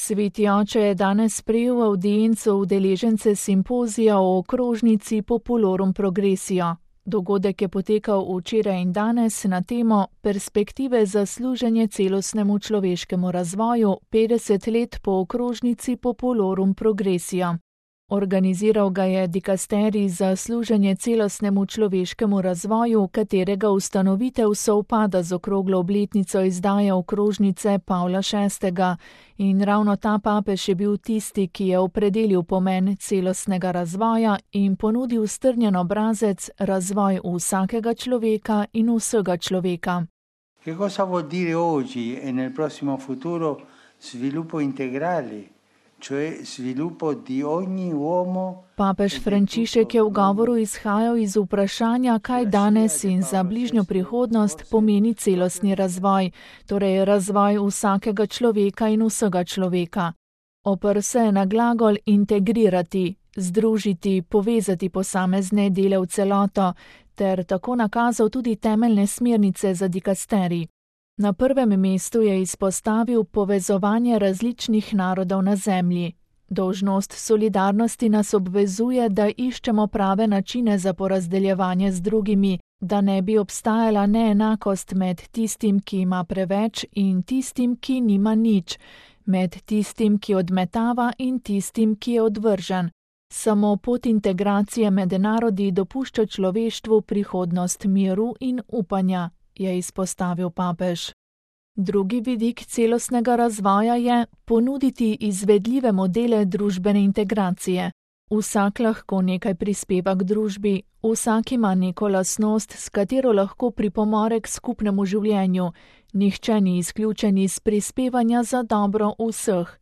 Sveti oče je danes sprejel v avdienco udeležence simpozija o okrožnici Populorum Progressio. Dogodek je potekal včeraj in danes na temo Perspektive za služenje celostnemu človeškemu razvoju 50 let po okrožnici Populorum Progressio. Organiziral ga je dikasterij za služenje celostnemu človeškemu razvoju, katerega ustanovitev sovpada z okroglo obletnico izdaje okrožnice Pavla VI. In ravno ta papež je bil tisti, ki je opredelil pomen celostnega razvoja in ponudil strnjen obrazec razvoj vsakega človeka in vsega človeka. Che cosa vuol dire oggi e nel prossimo futuro sviluppo integrale? Papež Frančišek je v govoru izhajal iz vprašanja, kaj danes in za bližnjo prihodnost pomeni celostni razvoj, torej razvoj vsakega človeka in vsega človeka. Oprl se je na glagol integrirati, združiti, povezati posamezne dele v celoto, ter tako nakazal tudi temeljne smernice za dikasterij. Na prvem mestu je izpostavil povezovanje različnih narodov na zemlji. Dolžnost solidarnosti nas obvezuje, da iščemo prave načine za porazdeljevanje z drugimi, da ne bi obstajala neenakost med tistim, ki ima preveč, in tistim, ki nima nič, med tistim, ki odmetava, in tistim, ki je odvržen. Samo pot integracije med narodi dopušča človeštvu prihodnost miru in upanja, je izpostavil papež. Drugi vidik celostnega razvoja je ponuditi izvedljive modele družbene integracije. Vsak lahko nekaj prispeva k družbi, vsak ima neko lastnost, s katero lahko pripomore k skupnemu življenju. Nihče ni izključen iz prispevanja za dobro vseh.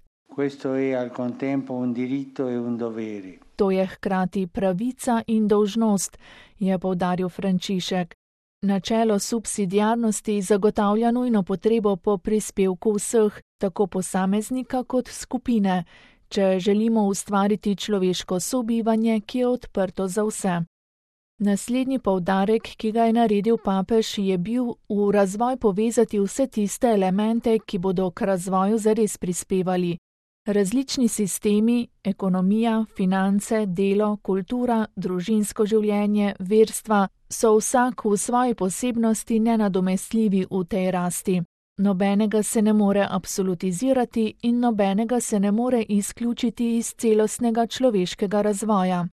To je hkrati pravica in dolžnost, je poudaril Frančišek. Načelo subsidiarnosti zagotavlja nujno potrebo po prispevku vseh, tako posameznika kot skupine, če želimo ustvariti človeško sobivanje, ki je odprto za vse. Naslednji poudarek, ki ga je naredil papež, je bil v razvoj povezati vse tiste elemente, ki bodo k razvoju zares prispevali. Različni sistemi, ekonomija, finance, delo, kultura, družinsko življenje, verstva, so vsak v svoji posebnosti nenadomestljivi v tej rasti. Nobenega se ne more absolutizirati in nobenega se ne more izključiti iz celostnega človeškega razvoja.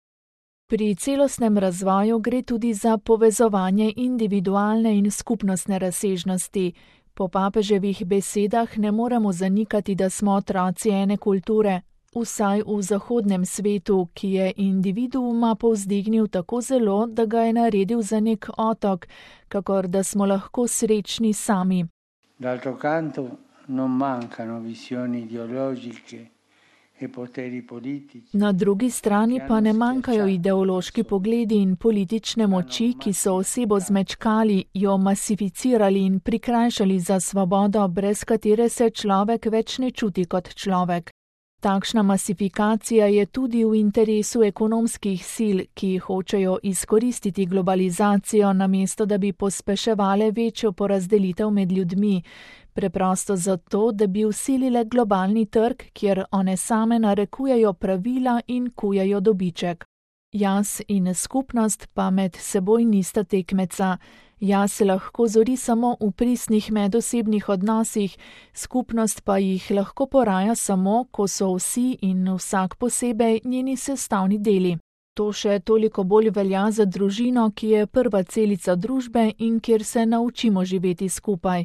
Pri celostnem razvoju gre tudi za povezovanje individualne in skupnostne razsežnosti. Po papeževih besedah ne moremo zanikati, da smo otroci ene kulture, vsaj v zahodnem svetu, ki je individuuma povzdignil tako zelo, da ga je naredil za nek otok, kakor da smo lahko srečni sami. D'altro canto non mancano visioni ideologiche e poteri politici. Na drugi strani pa ne manjkajo ideološki pogledi in politične moči, ki so osebo zmečkali, jo masificirali in prikrajšali za svobodo, brez katere se človek več ne čuti kot človek. Takšna masifikacija je tudi v interesu ekonomskih sil, ki hočejo izkoristiti globalizacijo, namesto da bi pospeševale večjo porazdelitev med ljudmi, preprosto zato, da bi vsilile globalni trg, kjer one same narekujejo pravila in kujejo dobiček. Jaz in skupnost pa med seboj nista tekmeca. Jaz se lahko zori samo v pristnih medosebnih odnosih, skupnost pa jih lahko poraja samo, ko so vsi in vsak posebej njeni sestavni deli. To še toliko bolj velja za družino, ki je prva celica družbe in kjer se naučimo živeti skupaj.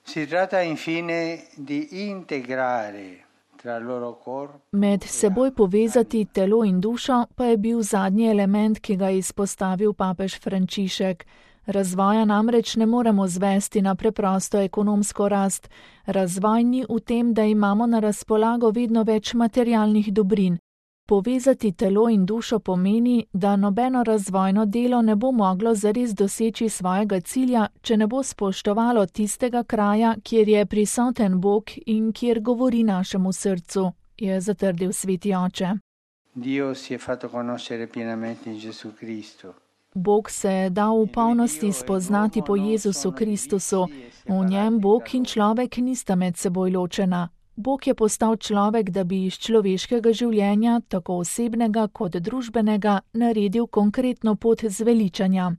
Si tratta infine di integrare tra loro corpo. Med seboj povezati telo in dušo pa je bil zadnji element, ki ga je izpostavil papež Frančišek. Razvoja namreč ne moremo zvesti na preprosto ekonomsko rast. Razvoj ni v tem, da imamo na razpolago vedno več materialnih dobrin. Povezati telo in dušo pomeni, da nobeno razvojno delo ne bo moglo zares doseči svojega cilja, če ne bo spoštovalo tistega kraja, kjer je prisoten Bog in kjer govori našemu srcu, je zatrdil sveti oče. Dio si je fatto conoscere pienamente in Gesù Cristo. Bog se je dal v polnosti spoznati po Jezusu Kristusu. V njem Bog in človek nista med seboj ločena. Bog je postal človek, da bi iz človeškega življenja, tako osebnega kot družbenega, naredil konkretno pot zveličanja.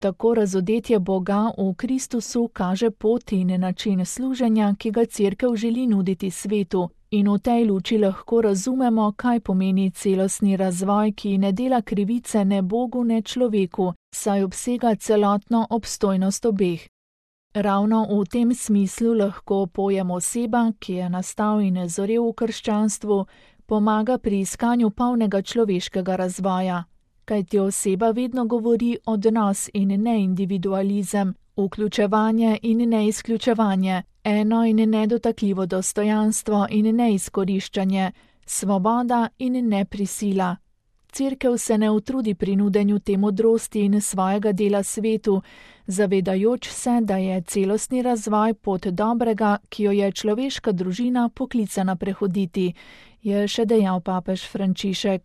Tako razodetje Boga v Kristusu kaže pot in način služenja, ki ga Cerkev želi nuditi svetu, in v tej luči lahko razumemo, kaj pomeni celostni razvoj, ki ne dela krivice ne Bogu, ne človeku, saj obsega celotno obstojnost obeh. Ravno v tem smislu lahko pojem oseba, ki je nastal in zorel v krščanstvu, pomaga pri iskanju polnega človeškega razvoja. Kajti oseba vedno govori odnos in ne individualizem, vključevanje in ne izključevanje, eno in nedotakljivo dostojanstvo in ne izkoriščanje, svoboda in ne prisila. Cerkev se ne utrudi pri nudenju te modrosti in svojega dela svetu, zavedajoč se, da je celostni razvoj pot dobrega, ki jo je človeška družina poklicana prehoditi, je še dejal papež Frančišek.